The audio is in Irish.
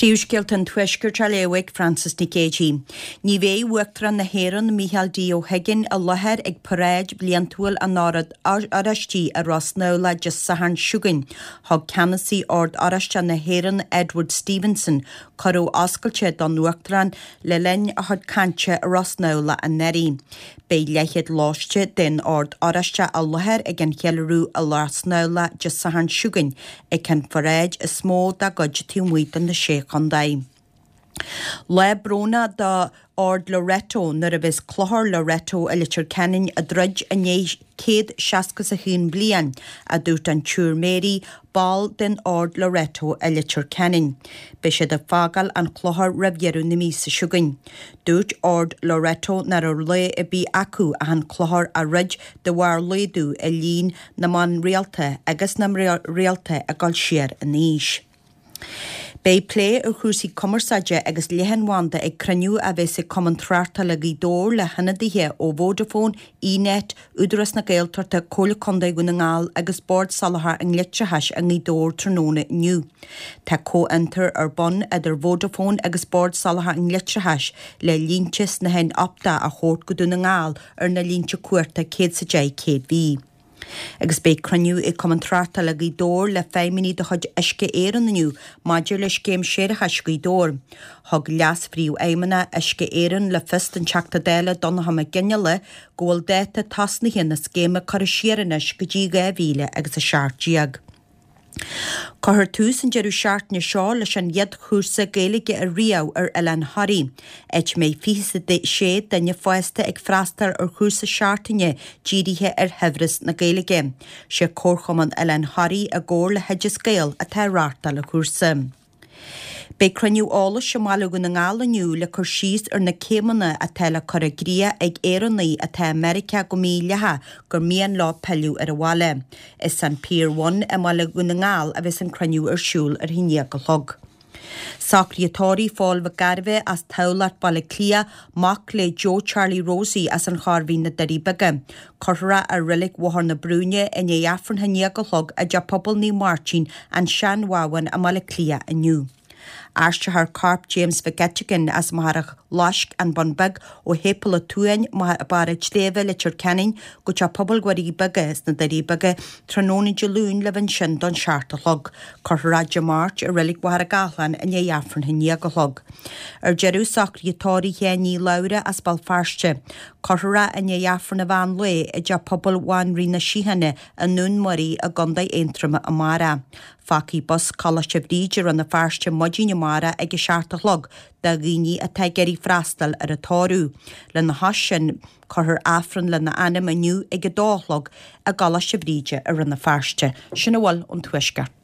Príomhscéalta an Tuaiscirt á léamh ag Frances Nic Géadaigh. Ní bheidh Uachtarán na hÉireann, Micheál D. Ó hUiginn, i láthair ag paráid bhliantúil an Oird Oráistigh i Ros na Dé Sathairn seo chugainn. Thug Ceannasaí Ord Oráisteach na hÉireann, Edward Stevenson, cuireadh oscailte don Uachtarán le linn a chuid cainte i Ros na anuraidh. Beidh leathchéad lóiste den Ord Oráisteach i láthair ag an cheiliúradh i Ros na Dé Sathairn seo chugainn ag an pharáid is mó dá gcuid taobh amuigh de na Sé Chontae. Lá brónach do Ord Loreto nuair a bheas Clochar Loreto i Leitir Ceanainn ag druid i ndiaidh 161 bliain, a dúirt an tSiúr Mary, ball den Ord Loreto i Leitir Ceanainn. Beidh siad ag fágáil an chlochair roimh dheireadh na míosa seo chugainn. Dúirt Ord Loreto nach raibh rogha ar bith acu ach an clochar a dhruid de bharr laghdú i líon na mban rialta agus na mná rialta ag dul siar in aois. Beidh plé ar chúrsaí cumarsáide agus leathanbhanda ag cruinniú a bheas ag Cumann Tráchtála Ghaoth Dobhair le hionadaithe ó Vodafone, eNet, Údarás na Gaeltachta, Comhairle Contae Dhún na nGall agus Bord Soláthair an Leictreachais i nGaoth Dobhair tráthnóna inniu. Tá comhfhiontar ar bun idir Vodafone agus Bord Soláthair an Leictreachais le línte snáthain optach a thabhairt go Dún na nGall ar na línte cumhachta 110 kV. Agus beidh cruinniú ag Cumann Tráchtála Ghaoth Dobhair le feidhmeannaigh de chuid Uisce Éireann inniu maidir le scéim séarachais Ghaoth Dobhair. Thug Leas-Phríomhfheidhmeannach Uisce Éireann le fios don Teachta Dála Donnchadh Mac Fhionnghaile go bhfuil dáta tosnaithe na scéime curtha siar anois go dtí 2017. Cuirfear tús an deireadh seachtaine seo leis an gcéad chúrsa Gaeilge ariamh ar Oileán Thoraí, áit a mbeidh 26 duine fásta ag freastal ar chúrsa seachtaine dírithe ar shaibhreas na Gaeilge. Sé Comharchumann Oileán Thoraí i gcomhar le hOideas Gael atá ag reáchtáil an chúrsa. Beidh cruinniú eolais i mBaile Dhún na nGall inniu le cur síos ar na céimeanna atá le cur i gcrích ag Éireannaigh atá i Meiriceá go mídhleathach gur mian leo pilleadh ar an bhaile. Is san Pier One i mBaile Dhún na nGall a bheas an cruinniú ar siúl ar a haon déag a chlog. Socruithe tórraimh Phóil Mhic Gairbheith as Tamhlacht, Baile Átha Cliath, mac le Joe Charlie Rosie as an Chorr Mhín na Doirí Beaga. Cuirfear é i Reilig Bhóthar na Brúine i ndiaidh Aifreann a haon déag a chlog i dTeach Pobail Naomh Máirtín, An Seanbhabhán i mBaile Átha Cliath inniu. Aistreofar corp James Mhic Eiteagáin as Machaire Fhlaisc, An Bun Beag, ó Shéipéal an tSuain, Barr an tSléibhe, Leitir Ceanainn, go Teach Pobail Dhoirí Beaga sna Doirí Beaga tráthnóna Dé Luain le bheith ansin don seacht a chlog. Cuirfear é Dé Máirt i Reilig Mhachaire Gathlán i ndiaidh Aifreann a haon déag a chlog. Ar deireadh, socruithe tórraimh Sheáin Uí Labhra as Béal Feirste. Cuirfear é i ndiaidh Aifreann an mheán lae i dTeach Pobail Bhanríon na Síochána i nDún Muirí i gContae Aontroma amárach. Fágfaidh bus Coláiste Bhríde Rann na Feirste maidin amárach ag a 7 a chlog do dhaoine atá ag iarraidh freastal ar an tórramh. Lena chois sin, cuirfear Aifreann lena anam inniu ag a dó a chlog i gColáiste Bhríde i Rann na Feirste. Sin a bhfuil ón Tuaisceart.